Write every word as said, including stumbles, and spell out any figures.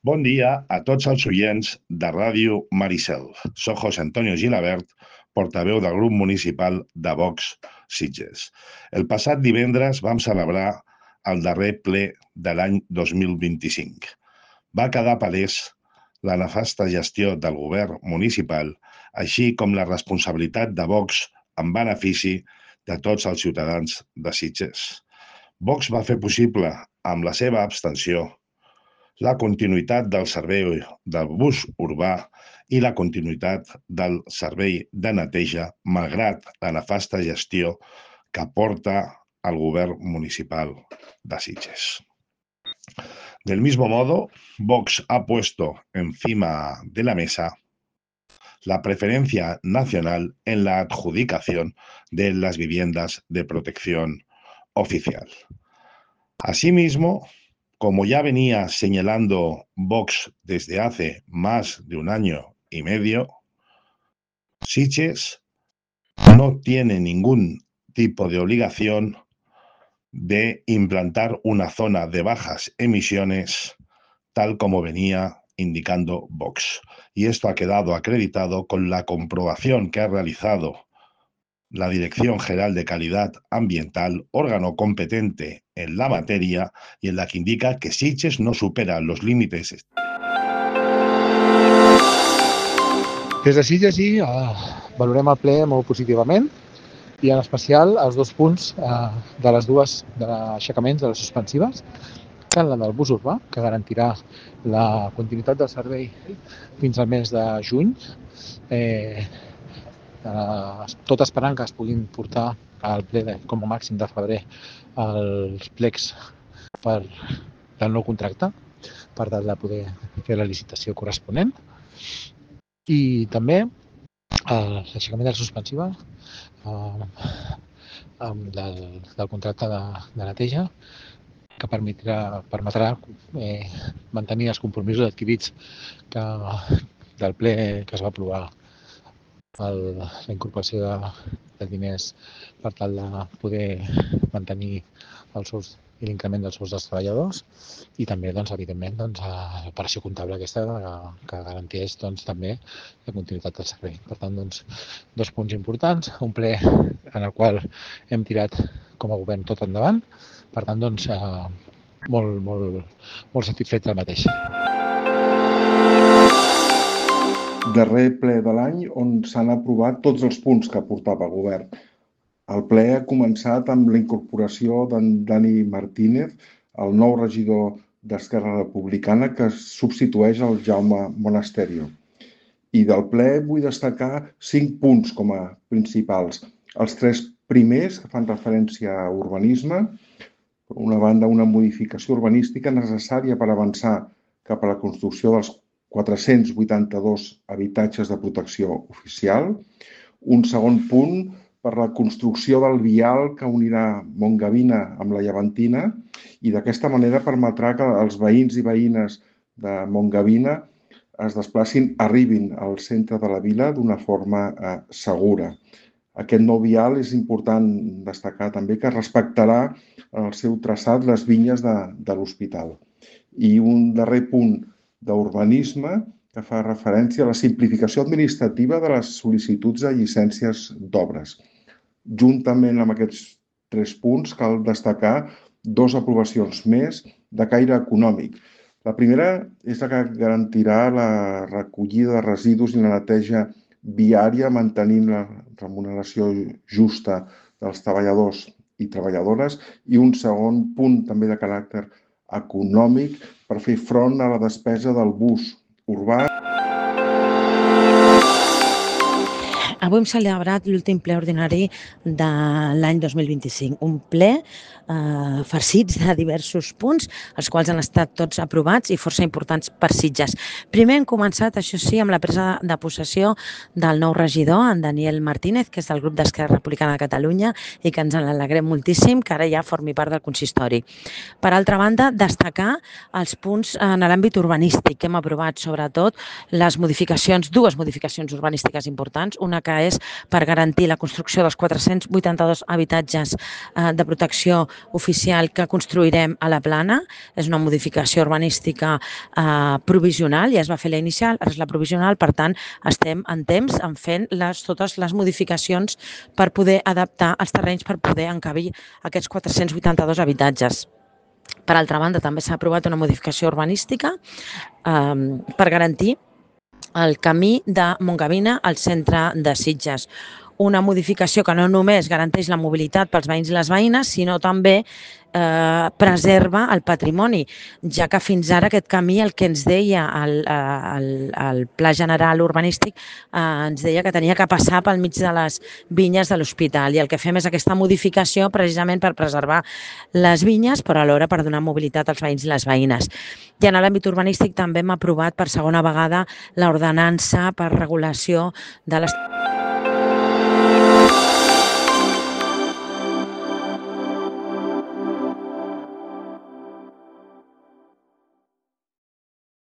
Bon dia a tots els oients de Ràdio Maricel. Soc José Antonio Gilabert, portaveu del grup municipal de Vox Sitges. El passat divendres vam celebrar el darrer ple de l'any dos mil vint-i-cinc. Va quedar palès la nefasta gestió del govern municipal, així com la responsabilitat de Vox en benefici de tots els ciutadans de Sitges. Vox va fer possible, amb la seva abstenció, la continuïtat del servei del bus urbà i la continuïtat del servei de neteja, malgrat la nefasta gestió que porta el govern municipal de Sitges. Del mismo modo, Vox ha puesto encima de la mesa la preferencia nacional en la adjudicación de las viviendas de protección oficial. Asimismo, como ya venía señalando Vox desde hace más de un año y medio, Sitges no tiene ningún tipo de obligación de implantar una zona de bajas emisiones, tal como venía indicando Vox. Y esto ha quedado acreditado con la comprobación que ha realizado la Dirección General de Calidad Ambiental, órgano competente en la materia y en la que indica que Sitges no supera los límites. Des de Sitges sí, eh, valorem el ple molt positivament i en especial els dos punts eh, de les dues de l'aixecaments de les suspensives, tant la del bus urbà, que garantirà la continuïtat del servei fins al mes de juny, eh, eh, tot esperant que es puguin portar al ple de, com a màxim de febrer els plecs per del nou contracte per tal de poder fer la licitació corresponent. I també eh, l'aixecament de la suspensiva eh, del, del contracte de, de neteja que permetrà, permetrà eh, mantenir els compromisos adquirits que, del ple que es va aprovar el, la incorporació de, de diners per tal de poder mantenir els sous i l'increment dels sous dels treballadors i també, doncs, evidentment, doncs, l'operació comptable aquesta que, que garanteix doncs, també la continuïtat del servei. Per tant, doncs, dos punts importants, un ple en el qual hem tirat com a govern tot endavant, per tant, doncs, eh, molt, molt, molt satisfets del mateix. Darrer ple de l'any on s'han aprovat tots els punts que portava el govern. El ple ha començat amb la incorporació d'en Dani Martínez, el nou regidor d'Esquerra Republicana que substitueix el Jaume Monasterio. I del ple vull destacar cinc punts com a principals. Els tres primers que fan referència a urbanisme, per una banda una modificació urbanística necessària per avançar cap a la construcció dels quatre-cents vuitanta-dos habitatges de protecció oficial, un segon punt per la construcció del vial que unirà Montgavina amb la Llevantina i d'aquesta manera permetrà que els veïns i veïnes de Montgavina es desplacin, arribin al centre de la vila d'una forma eh, segura. Aquest nou vial és important destacar també que respectarà en el seu traçat les vinyes de, de l'hospital. I un darrer punt d'urbanisme que fa referència a la simplificació administrativa de les sol·licituds de llicències d'obres. Juntament amb aquests tres punts cal destacar dues aprovacions més de caire econòmic. La primera és la que garantirà la recollida de residus i la neteja viària mantenint la remuneració justa dels treballadors i treballadores i un segon punt també de caràcter econòmic per fer front a la despesa del bus urbà. Avui hem celebrat l'últim ple ordinari de l'any dos mil vint-i-cinc, un ple eh, farcits de diversos punts, els quals han estat tots aprovats i força importants per Sitges. Primer hem començat, això sí, amb la presa de possessió del nou regidor, en Daniel Martínez, que és del grup d'Esquerra Republicana de Catalunya i que ens en alegrem moltíssim, que ara ja formi part del consistori. Per altra banda, destacar els punts en l'àmbit urbanístic que hem aprovat, sobretot les modificacions, dues modificacions urbanístiques importants, una que que és per garantir la construcció dels quatre-cents vuitanta-dos habitatges de protecció oficial que construirem a la Plana. És una modificació urbanística provisional, ja es va fer la inicial, ara és la provisional, per tant estem en temps en fent les, totes les modificacions per poder adaptar els terrenys per poder encabir aquests quatre-cents vuitanta-dos habitatges. Per altra banda, també s'ha aprovat una modificació urbanística eh, per garantir el camí de Montgavina al centre de Sitges. Una modificació que no només garanteix la mobilitat pels veïns i les veïnes, sinó també eh, preserva el patrimoni, ja que fins ara aquest camí, el que ens deia el, el, el Pla General Urbanístic, eh, ens deia que tenia que passar pel mig de les vinyes de l'hospital, i el que fem és aquesta modificació precisament per preservar les vinyes, però alhora per donar mobilitat als veïns i les veïnes. I en l'àmbit urbanístic també hem aprovat per segona vegada l'ordenança per regulació de les...